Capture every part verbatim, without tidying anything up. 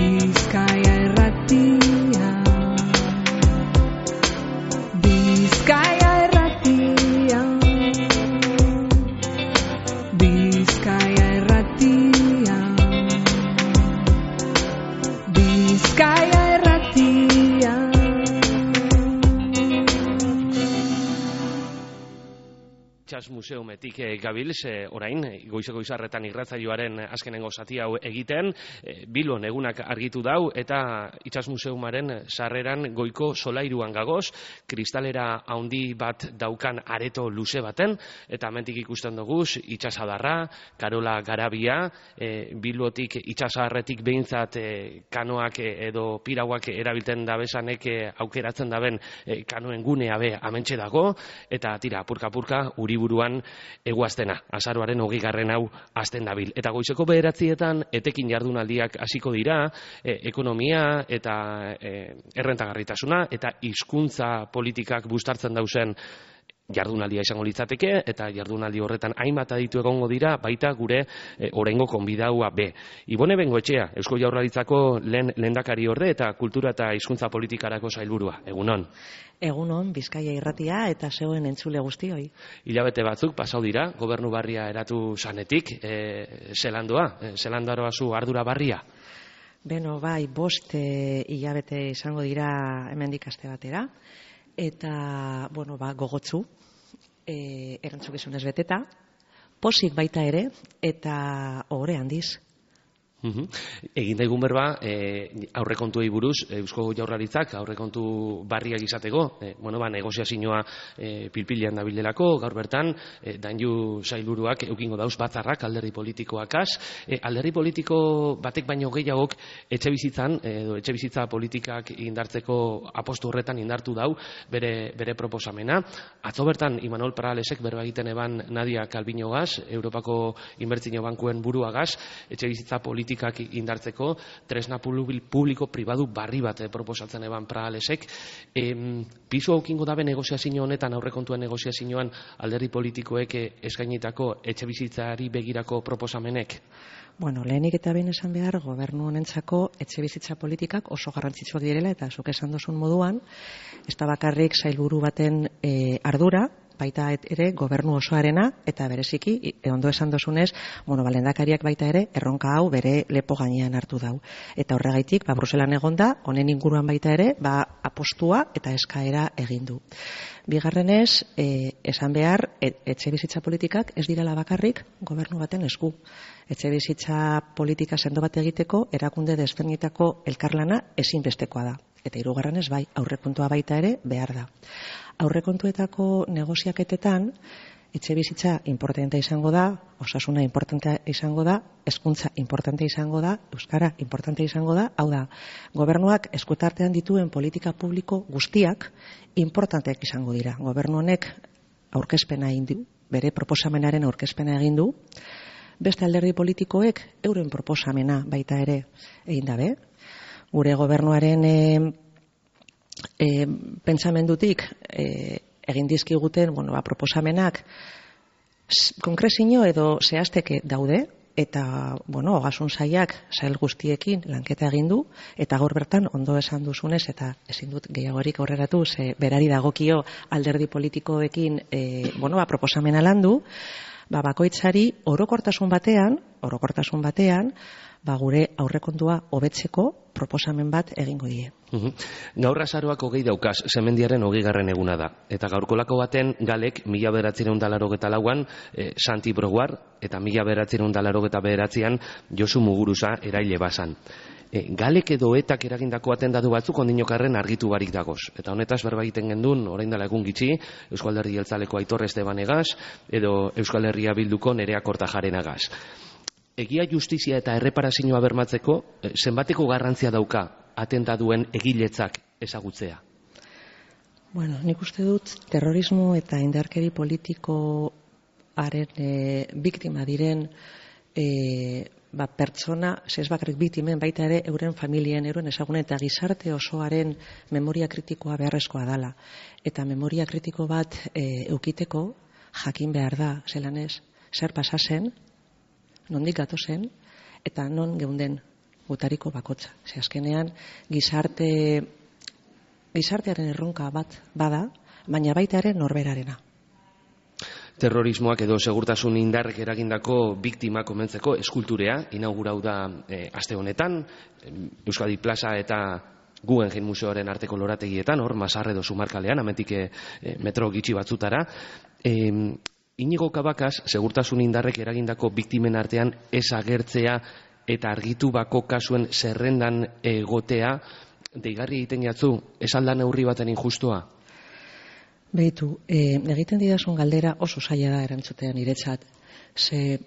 Bizkaia Irratia, Bizkaia Irratia, Bizkaia Irratia, Bizkaia Irratia. Itxas Museumetik gabil, ze orain, goizeko izarretan irratzaioaren azkenengo zati hau egiten, Bilbon egunak argitu dau, eta Itxas Museumaren sarreran goiko solairuan gagoz, kristalera handi bat daukan areto luze baten, eta hemendik ikusten duguz, itxasadarra, Karola Garabia, e, Bilbotik itxasadarretik behintzat e, kanoak edo pirauak erabiltzen dabezanek e, aukeratzen daben e, kanoen gunea be amentxe dago, eta tira, apurka-apurka, uri buruan eguaztena, azaroaren hogeigarren hau azten dabil. Eta goizeko bederatzietan etekin jardunaldiak hasiko dira, e, ekonomia eta e, errentagarritasuna eta hizkuntza politikak bustartzen dauzen jardunaldia izango litzateke, eta jardunaldi horretan hainbat aditu egongo dira, baita gure e, oraingo konbidaua be. Ibone Bengoetxea, Eusko Jaurlaritzako lehen lehendakari orde eta kultura eta hizkuntza politikarako sailburua. Egunon. Egunon, Bizkaia Irratia eta zeuen entzule guztioi. Hilabete batzuk pasau dira, gobernu barria eratu zanetik, e, zelandoa, e, zelandaroa zu ardura barria? Beno, bai, bost e, hilabete izango dira hemendik aste batera, eta, bueno, ba, gogotzu, e, erantzukizunez beteta, posik baita ere, eta ohore handiz. Uhum. Egin daigun berba, e, aurrekontuei buruz, Eusko Jaurlaritzak aurrekontu barriak izateko, e, bueno, ba, negoziazioa e, pilpilean dabilelako, gaur bertan, e, dainu sailburuak eukingo dauz batzarrak alderdi politikoakaz, e, alderdi politiko batek baino gehiagok etxe bizitzan, edo etxe bizitza politikak indartzeko apostu horretan indartu dau bere, bere proposamena. Atzo bertan, Imanol Paralesek berba egiten eban Nadia Calviñogaz, Europako Inbertsio Bankuen buruagaz, etxe bizitza politikak indartzeko tresna publiko pribadu barri bat proposatzen eban Prahalesek. E, pisu aukingo dabe negoziazio honetan, aurrekontuen negoziazioan alderdi politikoek eskainitako etxe bizitzari begirako proposamenek? Bueno, lehenik eta behin esan behar, gobernu honentzako etxe bizitza politikak oso garrantzitsuak direla, eta zuk esan duzun moduan, ez da bakarrik sailburu baten e, ardura, baita ere gobernu osoarena, eta bereziki, ondo esan dozunez, bueno, balendakariak baita ere, erronka hau bere lepo gainean hartu dau. Eta horregaitik, ba, Bruselan egonda, honen inguruan baita ere, ba, apostua eta eskaera egin du. Bigarrenez, e, esan behar, et, etxe bizitza politikak ez direla bakarrik gobernu baten esku. Etxe bizitza politika sendo bat egiteko, erakunde desberdinetako elkarlana ezinbestekoa da. Eta hirugarrenez bai, aurrekontua baita ere behar da. Aurrekontuetako negoziaketetan, etxe bizitza importante izango da, osasuna importante izango da, hezkuntza importante izango da, euskara importante izango da, hau da, gobernuak eskutartean dituen politika publiko guztiak importanteak izango dira. Gobernu honek aurkezpena egin du, bere proposamenaren aurkezpena egin du, beste alderdi politikoek euren proposamena baita ere egin dabe. Gure gobernuaren e, e, pentsamendutik e, egin dizkiguten, bueno, ba, proposamenak konkrezio edo zehazteke daude, eta, bueno, ogasun sailak sail guztiekin lanketa egin du, eta gaur bertan ondo esan duzunez, eta ezin dut gehiagorik aurreratu, ze berari dagokio alderdi politikoekin e, bueno, ba, proposamena landu, ba, bakoitzari orokortasun batean, orokortasun batean, ba, gure aurrekontua hobetzeko proposamen bat egingo die. Uhum. Gaur azaroak hogei daukaz, Semendiaren hogeigarren eguna da. Eta gaurkolako baten galek mila bederatzireun da larogeta lauan e, Santi Broguar eta mila bederatzireun da larogeta bederatzean Josu Muguruza eraile bazan. E, galek edo etak eragindako atendatu batzuk ondinokarren argitu barik dagoz. Eta honetaz berba egiten gendun, orain dela egun gitxi, Euskal Herri Jeltzaleko Aitor Estebanegaz edo Euskal Herria Bilduko Nerea Kortajarenagaz. Egia, justizia eta erreparazioa bermatzeko, zenbateko garrantzia dauka atentatuen egiletzak ezagutzea? Bueno, nik uste dut terrorismo eta indarkeri politikoaren e, biktima diren e, ba, pertsona, ez bakarrik biktimen baita ere euren familien, euren ezagunen eta gizarte osoaren memoria kritikoa beharrezkoa dala. Eta memoria kritiko bat e, eukiteko jakin behar da, zelan ez, zer pasazen, nondik gatozen, eta non geunden gutariko bakotza. Ze azkenean gizarte gizartearen erronka bat bada, baina baita ere norberarena. Terrorismoak edo segurtasun indarrek eragindako biktima komentzeko eskulturea inaugurau da e, aste honetan, Euskadi Plaza eta Guggenheim Museoaren arteko lorategietan, hor Masarre edo Zumarkalean, amentik e, metro gitxi batzutara. E, Inigo Cabacas, segurtasun indarrek eragindako biktimen artean ez agertzea eta argitu bako kasuen zerrendan egotea, deigarri egiten jatzu, ez alda neurri baten injustua? Behitu, e, egiten didazun galdera oso zaila da erantzutean niretzat. Ze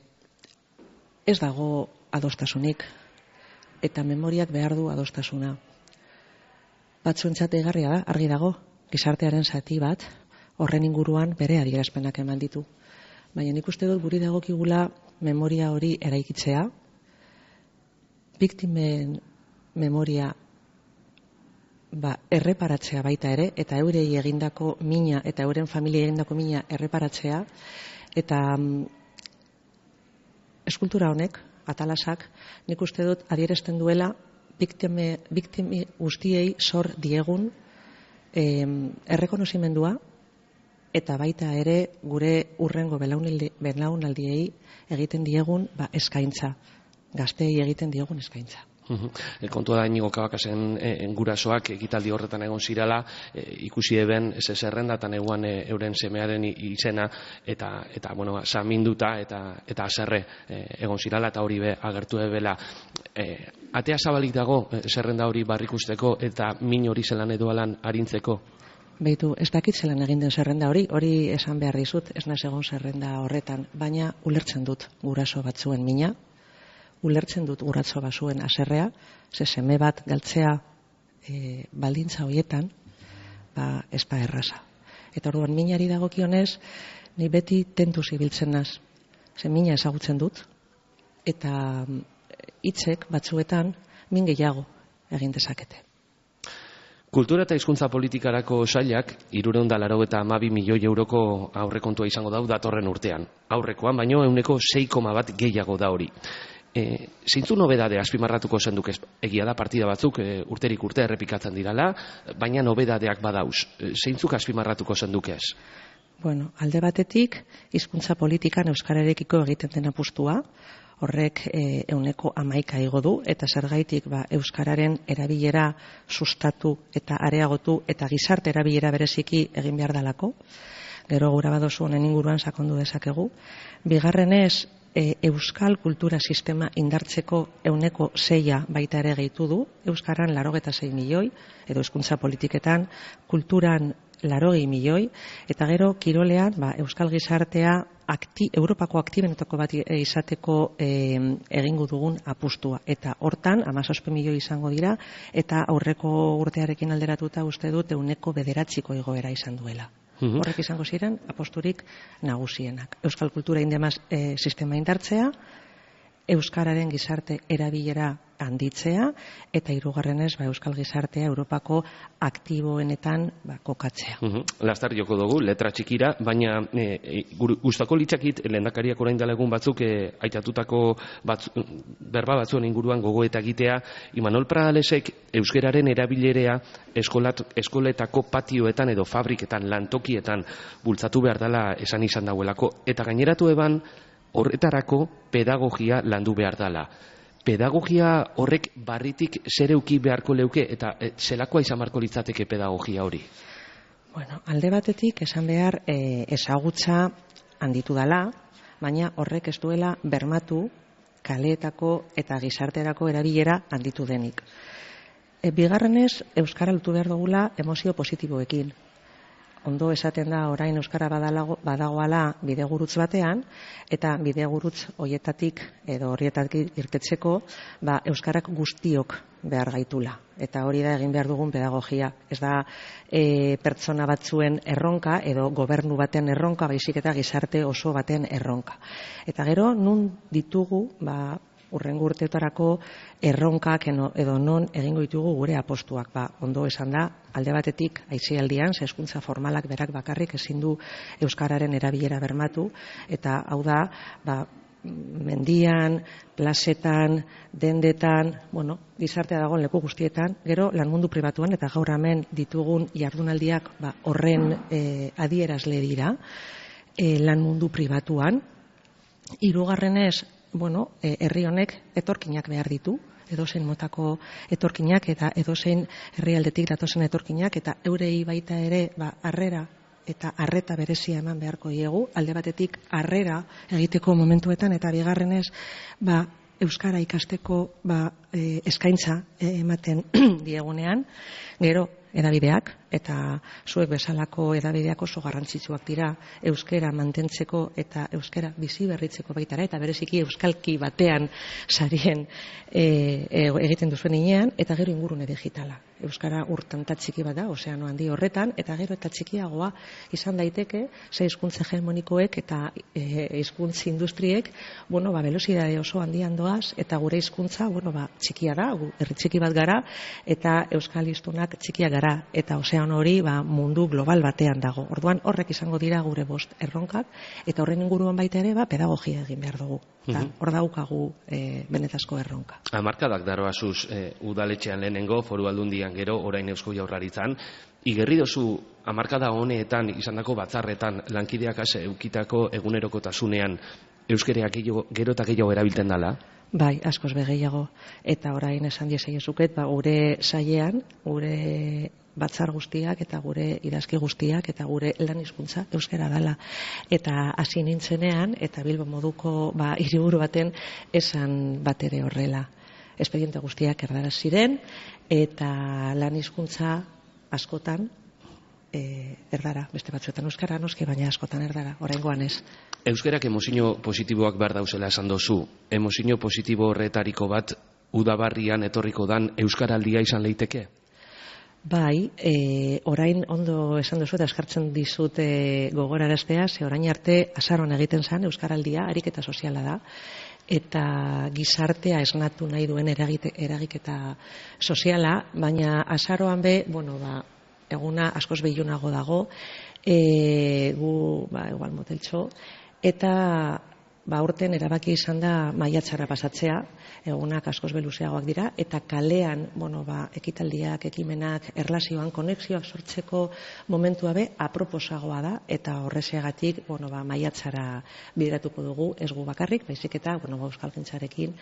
ez dago adostasunik eta memoriak behar du adostasuna. Batzuentzat deigarria da, argi dago, gizartearen zati bat horren inguruan bere adierazpenak eman ditu. Baina nik uste dut guri dagokigula memoria hori eraikitzea, biktimen memoria ba, erreparatzea baita ere, eta eurei egindako mina eta euren familia egindako mina erreparatzea, eta mm, eskultura honek, atalasak, nik uste dut adierazten duela biktime, biktimi guztiei zor diegun eh, errekonozimendua, eta baita ere gure urrengo belaunaldiei egiten diegun ba, eskaintza, gazteei egiten diegun eskaintza. Uh-huh. E, kontua da Inigo Cabakasen e, gurasoak ekitaldi horretan egon zirala, e, ikusi eben ez zerrendatan eguan e, euren semearen izena eta eta bueno, saminduta eta eta haserre e, egon zirala eta hori be agertu ebela. E, atea zabalik dago e, zerrenda hori barrikusteko eta min hori zelan edoalan arintzeko? Beitu, ez dakit zelan egin den zerrenda hori, hori esan behar dizut, ez naiz egon zerrenda horretan, baina ulertzen dut guraso batzuen mina, ulertzen dut guraso bazuen haserrea, ze seme bat galtzea e, baldintza hoietan, ba, ez da erraza. Eta orduan minari dagokionez, ni beti tentuz ibiltzen naz, ze mina ezagutzen dut, eta hitzek batzuetan min gehiago egin dezakete. Kultura eta hizkuntza politikarako sailak hirurehun eta laurogeita hamabi milioi euroko aurrekontua izango dau datorren urtean. Aurrekoan baino ehuneko sei koma bat gehiago da hori. E, zeintzu nobedade azpimarratuko zenduk ez? Egia da partida batzuk e, urterik urte errepikatzen dirala, baina nobedadeak badauz. E, zeintzuk azpimarratuko zenduk ez? Bueno, alde batetik, hizkuntza politikan euskararekiko egiten den apustua, horrek e, euneko hamaika igo du, eta zergaitik ba, euskararen erabilera sustatu eta areagotu eta gizarte erabilera bereziki egin behar dalako. Gero gura badozu honen inguruan sakondu dezakegu. Bigarrenez, e, euskal kultura sistema indartzeko euneko seia baita ere gehitu du, euskaran laurogeita sei milioi, edo hizkuntza politiketan, kulturan laurogei milioi, eta gero kirolean ba, euskal gizartea akti, Europako aktibenetako bat izateko e, egingo dugun apustua. Eta hortan, hamazazpi milioi izango dira, eta aurreko urtearekin alderatuta uste dut euneko bederatziko igoera izan duela. Uh-huh. Horrek izango ziren aposturik nagusienak. Euskal kultura indemaz e, sistema indartzea, euskararen gizarte erabilera handitzea, eta hirugarrenez ba, euskal gizartea Europako aktiboenetan ba, kokatzea. Uh-huh. Lastar joko dugu, letra txikira, baina e, gustako litzakit lehendakariak orain dela egun batzuk e, aitatutako batzu, berba batzuen inguruan gogoeta egitea, Imanol Pradalesek euskararen erabilerea eskolat, eskoletako patioetan edo fabriketan, lantokietan bultzatu behar dela esan izan dauelako, eta gaineratu eban horretarako pedagogia landu behar dela. Pedagogia horrek barritik zer euki beharko leuke eta e, zelakoa izan beharko litzateke pedagogia hori? Bueno, alde batetik esan behar e, ezagutza handitu dela, baina horrek ez duela bermatu kaleetako eta gizarterako erabilera handitu denik. E, bigarrenez, euskara lutu behar dugula emozio positiboekin. Ondo esaten da orain euskara badalago, badagoala bidegurutz batean, eta bidegurutz hoietatik edo horietatik irtetzeko ba, euskarak guztiok behar gaitula. Eta hori da egin behar dugun pedagogia. Ez da e, pertsona batzuen erronka edo gobernu baten erronka, baizik eta gizarte oso baten erronka. Eta gero, nun ditugu, ba, urrengo urteetarako erronkak edo non egingo ditugu gure apostuak. Ba, ondo esan da, alde batetik aisialdian, ze hezkuntza formalak berak bakarrik ezin du euskararen erabilera bermatu, eta hau da, ba, mendian, plazetan, dendetan, bueno, gizartea dagoen leku guztietan, gero lan mundu pribatuan eta gaur hemen ditugun jardunaldiak ba, horren e, adierazle dira, e, lan mundu pribatuan. Hirugarrenez, bueno, e, herri honek etorkinak behar ditu, edozein motako etorkinak eta edozein herrialdetik datozen etorkinak eta eurei baita ere ba, harrera eta arreta berezia eman beharko diegu, alde batetik harrera egiteko momentuetan eta bigarrenez ba, euskara ikasteko ba, e, eskaintza e, ematen diegunean, gero edabideak eta zuek bezalako edabideak oso garrantzitsuak dira euskara mantentzeko eta euskara bizi berritzeko baitara eta bereziki euskalki batean sarien e, e, egiten duzuen inean eta gero ingurune digitala. Euskara urtanta txiki bat da, ozeano handi horretan, eta gero eta txikiagoa izan daiteke, ze hizkuntza hegemonikoek eta e, hizkuntza industriek, bueno, ba, velocidade oso handian doaz, eta gure hizkuntza, bueno, ba, txikia da, herri txiki bat gara, eta euskal hiztunak txikia gara, eta ozeano hori ba, mundu global batean dago. Orduan horrek izango dira gure bost erronkak, eta horren inguruan baita ere, ba, pedagogia egin behar dugu. Mm-hmm. Hor daukagu e, benetazko erronka. Hamarkadak daroazuz e, udaletxean lehenengo, foru aldundian gero, orain Eusko Jaurlaritzan, igerri dozu hamarkada honetan izandako batzarretan lankideak ase eukitako egunerokotasunean euskereak gero eta gehiago erabiltzen dala? Bai, askoz begeiago. Eta orain esan diesaiezuket, ba, gure sailean, gure batzar guztiak eta gure idazki guztiak eta gure lan hizkuntza euskara dela. Eta hasi nintzenean, eta Bilbo moduko ba, hiriburu baten esan bat ere horrela. Espediente guztiak erdaraz ziren, eta lan hizkuntza askotan e, erdara, beste batzuetan euskara, noski, baina askotan erdara, oraingoan ez. Euskerak emozio positiboak behar dauzela esan dozu. Emozio positibo horretariko bat udabarrian etorriko dan euskaraldia izan leiteke? Bai, e, orain ondo esan duzu eta eskartzen dizut e, gogoraraztea, ze orain arte azaroan egiten zen euskaraldia, ariketa soziala da, eta gizartea esnatu nahi duen eragite, eragiketa soziala, baina azaroan be, bueno, ba, eguna askoz behiunago dago, e, gu, ba, igual moteltxo, eta ba, urten erabaki izan da maiatzara pasatzea, egunak askoz beluzeagoak dira, eta kalean, bueno, ba, ekitaldiak, ekimenak, erlazioan, konexioak sortzeko momentua be, aproposagoa da, eta horrezeagatik, bueno, ba, maiatzara bideratuko dugu, ez gu bakarrik, baizik eta, bueno, ba, euskalgintzarekin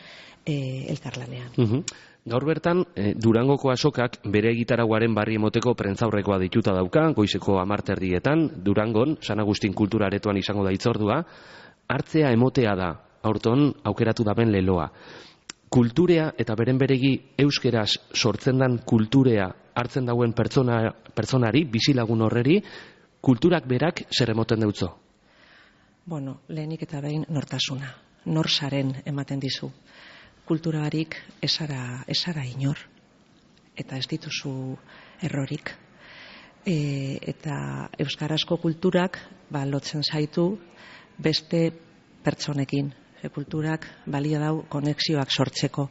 e, elkarlanean. Uh-huh. Gaur bertan, eh, Durangoko azokak bere egitaraguaren barri emoteko prentzaurrekoa dituta dauka, goizeko hamarterdietan, Durangon, San Agustin kultura aretoan izango da itzordua, hartzea emotea da, aurton aukeratu daben leloa. Kulturea eta beren beregi euskeraz sortzen dan kulturea hartzen dauen pertsona, pertsonari, bizilagun horreri, kulturak berak zer emoten deutzo? Bueno, lehenik eta behin nortasuna, norsaren ematen dizu. Kulturarik esara, esara inor, eta ez dituzu errorik. E, eta euskarazko kulturak ba, lotzen zaitu beste pertsonekin. E, kulturak balio dau konexioak sortzeko.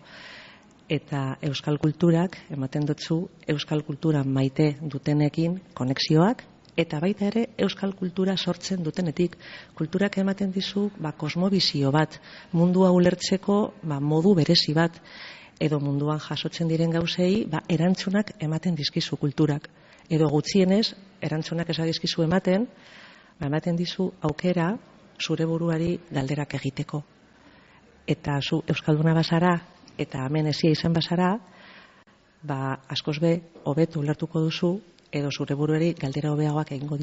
Eta euskal kulturak ematen dutzu euskal kultura maite dutenekin konexioak, eta baita ere euskal kultura sortzen dutenetik. Kulturak ematen dizu ba, kosmobizio bat, mundua ulertzeko ba, modu berezi bat, edo munduan jasotzen diren gauzei ba, erantzunak ematen dizkizu kulturak. Edo gutxienez, erantzunak esadizkizu ematen, ba, ematen dizu aukera zure buruari galderak egiteko. Eta zu euskalduna bazara, eta hemen ezia izan bazara, ba, askoz be, hobetu ulertuko duzu, edo zure buruari galdera hobeagoak egingo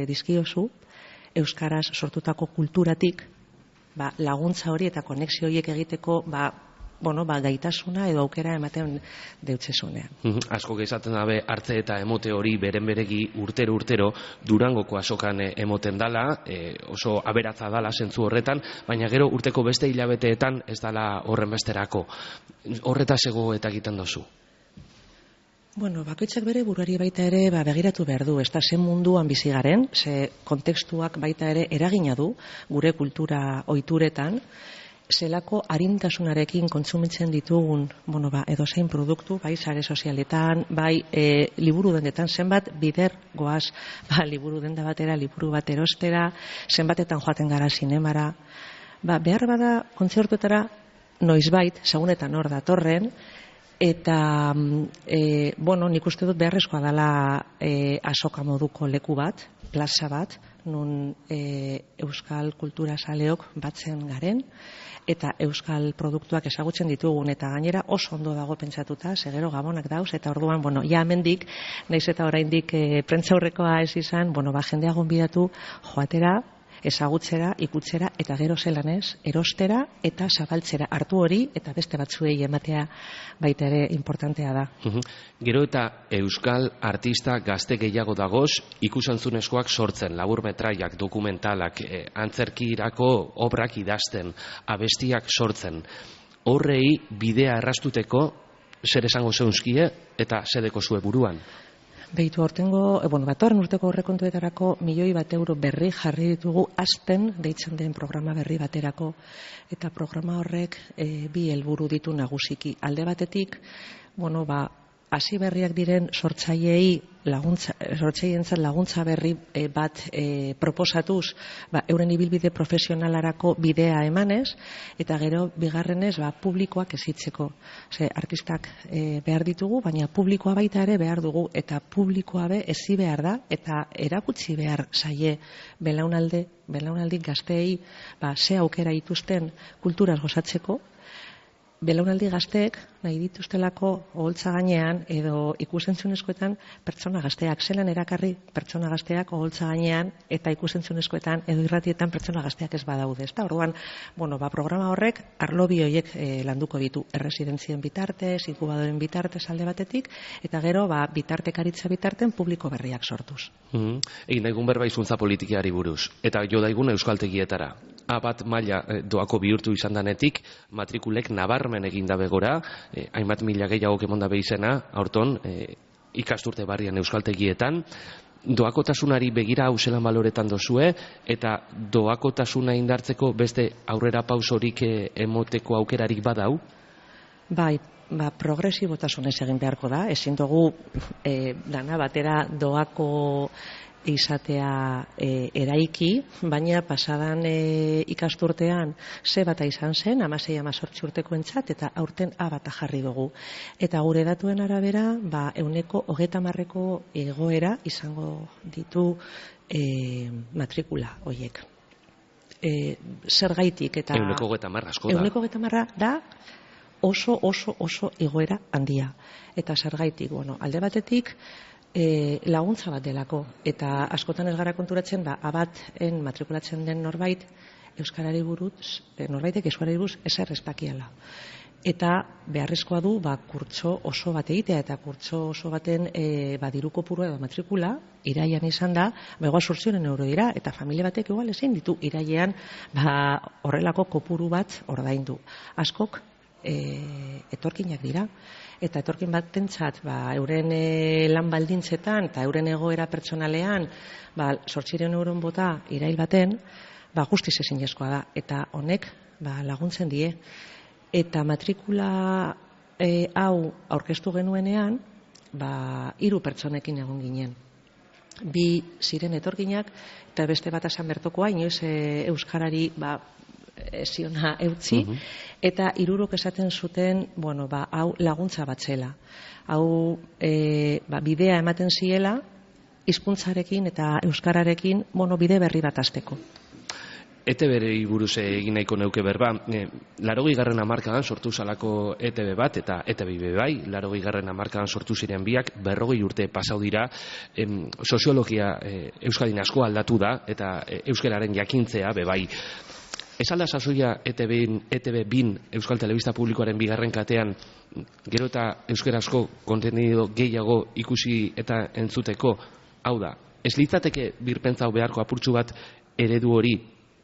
dizkiozu, euskaraz sortutako kulturatik ba, laguntza hori eta konexio horiek egiteko ba, bueno, ba, gaitasuna edo aukera ematen deutzezunean. Uh-huh. Asko gezaten dabe hartze eta emote hori beren beregi urtero urtero Durangoko azokan emoten dala, e, oso aberatza dala zentzu horretan, baina gero urteko beste hilabeteetan ez dala horren besterako. Horretaz ego eta egiten dozu? Bueno, bakoitzak bere buruari baita ere ba, begiratu behar du, ez da zen munduan bizi garen, ze kontekstuak baita ere eragina du gure kultura ohituretan, zelako arintasunarekin kontsumitzen ditugun, bueno, ba, edozein produktu, bai sare sozialetan, bai e, liburu dendetan, zenbat bider goaz, ba, liburu denda batera, liburu bat erostera, zenbatetan joaten gara sinemara, ba, behar bada kontzertuetara noizbait, segunetan hor datorren, eta, e, bueno, nik uste dut beharrezkoa dela e, azoka moduko leku bat, plaza bat, nun e, euskal kultura saleok batzen garen, eta euskal produktuak ezagutzen ditugun, eta gainera oso ondo dago pentsatuta, segero gabonak dauz, eta orduan, bueno, ja hemendik, naiz eta oraindik e, prentzaurrekoa ez izan, bueno, ba, jendea gonbidatu joatera, ezagutzera, ikutzera, eta gero zelan ez, erostera eta zabaltzera hartu hori, eta beste batzuei ematea baita ere importantea da. Uhum. Gero eta euskal artista gazte gehiago dagoz, ikusentzunezkoak sortzen, laburmetraiak, dokumentalak, eh, antzerkirako obrak idazten, abestiak sortzen. Horrei bidea errastuteko zer esango zeunzkie eta zedeko zue buruan? Behitu hortengo, e, bueno, batorren urteko horrekontuetarako milioi bat euro berri jarri ditugu Aspen deitzen den programa berri baterako. Eta programa horrek e, bi helburu ditu nagusiki. Alde batetik, bueno, ba, hasi berriak diren sortzaileei laguntza, sortzaileientzat laguntza berri e, bat e, proposatuz, ba, euren ibilbide profesionalarako bidea emanez, eta gero bigarrenez ba, publikoak ezitzeko. Ose, artistak e, behar ditugu, baina publikoa baita ere behar dugu, eta publikoa be ezi behar da, eta erakutsi behar zaie belaunalde, belaunaldik gazteei ba, ze aukera dituzten kulturaz gozatzeko, belaunaldi gazteek nahi dituztelako oholtza gainean edo ikusentzunezkoetan pertsona gazteak, zelan erakarri pertsona gazteak oholtza gainean eta ikusentzunezkoetan edo irratietan pertsona gazteak ez badaude. Ezta? Orduan, bueno, ba, programa horrek arlo bi horiek e, landuko ditu, erresidentzien bitartez, inkubadoren bitartez alde batetik, eta gero ba, bitartekaritza bitarten publiko berriak sortuz. Mm-hmm. Egin daigun berba hizkuntza politikoari buruz, eta jo daigun euskaltegietara. A bat maila e, doako bihurtu izan danetik, matrikulek nabarmen egin dabe gora, e, hainbat mila gehiago kemon dabe izena, aurton, e, ikasturte barrian euskaltegietan, doakotasunari begira hauselan baloretan dozue, eta doakotasuna indartzeko beste aurrera pausorik e, emoteko aukerarik badau? Bai, ba, progresibotasunez egin beharko da, ezin dugu e, dana batera doako izatea e, eraiki, baina pasadan e, ikasturtean ze bata izan zen, hamasei hamazortzi urteko entzat, eta aurten A bata jarri dugu. Eta gure datuen arabera, ba, euneko hogeta marreko egoera izango ditu e, matrikula hoiek. E, zergaitik eta... Euneko hogeta marra asko da. Euneko hogeta marra da oso, oso, oso egoera handia. Eta zergaitik, bueno, alde batetik, E, laguntza bat delako, eta askotan ez gara konturatzen, ba, abaten matrikulatzen den norbait, euskarari buruz, norbaitek euskarari buruz ezer ez dakiala. Eta beharrezkoa du, ba, kurtso oso bat egitea, eta kurtso oso baten e, ba, diru kopurua edo matrikula, iraian izan da, ba, egoa sortzionen euro dira, eta familia batek igual ezin ditu iraian ba, horrelako kopuru bat ordaindu. Askok e, etorkinak dira. Eta etorkin batentzat, ba, euren e, lan baldintzetan eta euren egoera pertsonalean, ba, zortziehun euron bota irail baten, ba, guztiz ezinezkoa da. Eta honek ba, laguntzen die. Eta matrikula e, hau aurkeztu genuenean, ba, hiru pertsonekin egon ginen. Bi ziren etorkinak, eta beste bat esan bertokoa, inoiz e, euskarari ba, ziona eutzi, uh-huh. Eta hirurok esaten zuten, bueno, ba, hau laguntza bat zela. Hau e, ba, bidea ematen ziela, hizkuntzarekin eta euskararekin, bueno, bide berri bat hasteko. E Te Be-rei buruz egin nahiko neuke berba, e, larogei garren hamarkadan sortu zalako E Te Be bat eta E Te Be bai, larogei garren hamarkadan sortu ziren biak, berrogei urte pasau dira, em, soziologia e, Euskadin asko aldatu da, eta e, euskararen jakintzea be bai. Ez alda sasoia E Te Be bin Euskal Telebista Publikoaren bigarren katean, gero eta euskarazko kontenido gehiago ikusi eta entzuteko, hau da, ez litzateke birpentzau beharko apurtxu bat eredu hori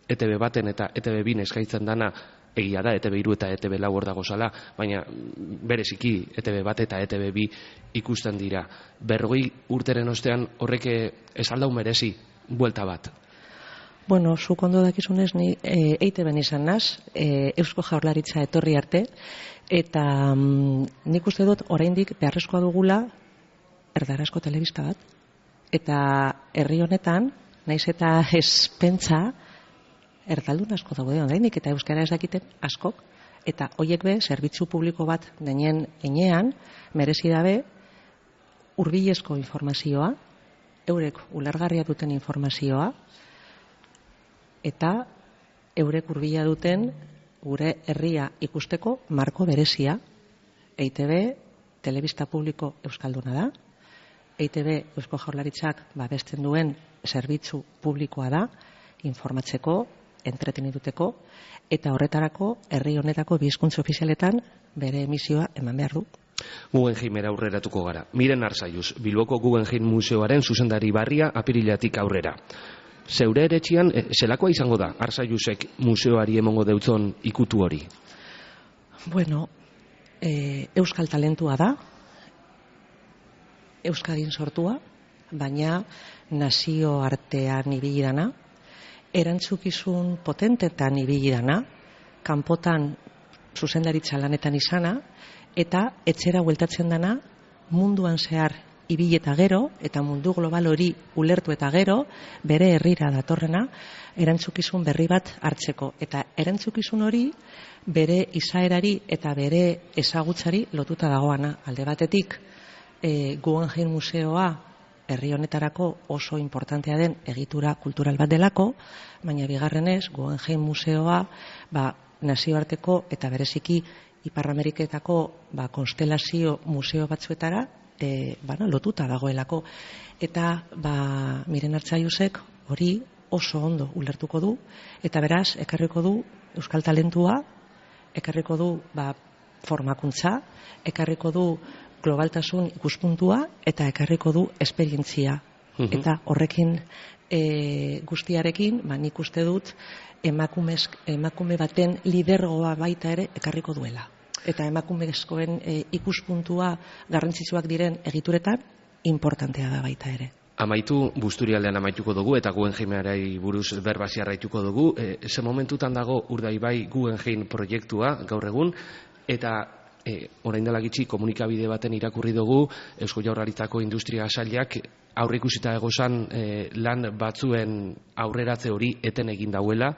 E Te Be baten eta E Te Be bin eskaintzen dana, egia da, E Te Be hiru eta E Te Be lau hor dago zala, baina bereziki E Te Be bat eta E Te Be bi ikusten dira. Berrogei urteren ostean horrek ez aldau merezi buelta bat. Bueno, zuk ondo dakizunez, ni e, E Te Be izan naz, e, Eusko Jaurlaritza etorri arte, eta mm, nik uste dut oraindik beharrezkoa dugula erdarazko telebista bat, eta herri honetan, naiz eta ez pentsa, erdaldun asko daude ondainik eta euskara ez dakiten askok, eta hoiek be, zerbitzu publiko bat denean enean, merezi dabe, hurbilezko informazioa, eurek ulergarria duten informazioa, eta eurek hurbila duten gure herria ikusteko marko berezia. E I Te Be telebista publiko euskalduna da, E I Te Be Eusko Jaurlaritzak babesten duen zerbitzu publikoa da, informatzeko, entreteniduteko, eta horretarako herri honetako bi hizkuntza ofizialetan bere emisioa eman behar du. Guggenheimera aurreratuko gara. Miren Arzalluz, Bilboko Guggenheim Museoaren zuzendari barria apirilatik aurrera. Zeure eretxian, e, zelakoa izango da Arzalluzek museoari emongo deutzon ikutu hori? Bueno, e, euskal talentua da, Euskadin sortua, baina nazio artean ibili dana, erantzukizun potentetan ibili dana, kanpotan zuzendaritza lanetan izana, eta etxera bueltatzen dana munduan zehar ibili eta gero, eta mundu global hori ulertu eta gero, bere herrira datorrena, erantzukizun berri bat hartzeko. Eta erantzukizun hori bere izaerari eta bere ezagutzari lotuta dagoana. Alde batetik, e, Guggenheim Museoa herri honetarako oso importantea den egitura kultural bat delako, baina bigarrenez, Guggenheim Museoa ba, nazioarteko eta bereziki Ipar Ameriketako ba, konstelazio museo batzuetara e, bana, lotuta dagoelako. Eta ba, Miren Arzalluzek hori oso ondo ulertuko du, eta beraz, ekarriko du euskal talentua, ekarriko du ba, formakuntza, ekarriko du globaltasun ikuspuntua, eta ekarriko du esperientzia. Uh-huh. Eta horrekin e, guztiarekin, ba, nik uste dut, emakumez, emakume baten lidergoa baita ere ekarriko duela. Eta emakumezkoen e, ikuspuntua garrantzitsuak diren egituretan, importantea da baita ere. Amaitu, Busturialdean amaituko dugu eta Guggenheimari buruz berbasi arraituko dugu. E, ze momentutan dago Urdaibai Guggenheim proiektua gaur egun, eta e, orain dela gitxi komunikabide baten irakurri dugu Eusko Jaurlaritzako industria sailak aurreikusita egozan e, lan batzuen aurreratze hori eten egin dauela.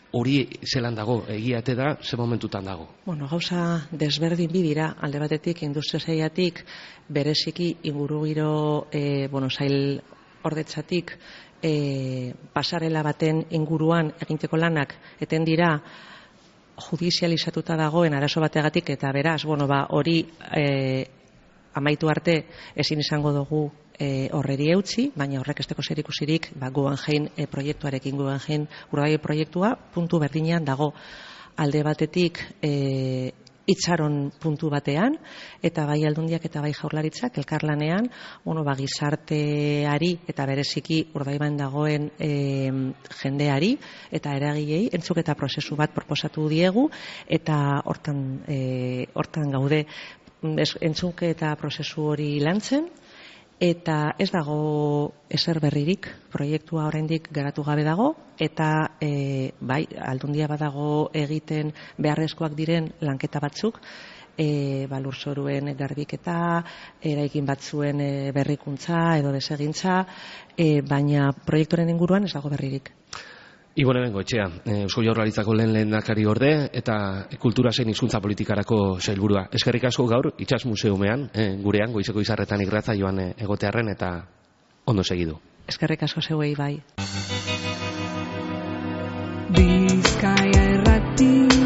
Hori zelan dago, egiate da, ze momentutan dago? Bueno, gauza desberdin bi dira, alde batetik industria sailatik bereziki ingurugiro e, bueno, sail ordetzatik e, pasarela baten inguruan eginteko lanak eten dira judizializatuta dagoen arazo bategatik, eta beraz, bueno, ba, hori e, amaitu arte ezin izango dugu E, horreri eutzi, baina horrek esteko zerikusirik ba, Guggenheim e, proiektuarekin Guggenheim Urdaibai proiektua puntu berdinean dago. Alde batetik e, itxaron puntu batean, eta bai aldundiak eta bai jaurlaritzak elkarlanean, bueno, ba, gizarteari eta bereziki Urdaibain dagoen e, jendeari eta eragilei entzuketa prozesu bat proposatu diegu, eta hortan, e, hortan gaude entzuketa prozesu hori lantzen. Eta ez dago ezer berririk, proiektua oraindik garatu gabe dago, eta e, bai, aldundia badago egiten beharrezkoak diren lanketa batzuk, e, ba, lurzoruen garbiketa, eraikin batzuen e, berrikuntza edo desegintza, e, baina proiektuaren inguruan ez dago berririk. Ibone Bengoetxea, Eusko Jaurlaritzako lehen lehendakari orde eta kultura zein hizkuntza politikarako sailburua. Eskerrik asko gaur Itsas Museumean, eh, gurean goizeko izarretan irratsaioan egotearren, eta ondo segidu. Eskerrik asko zeuei bai. Bizkaia Irratia.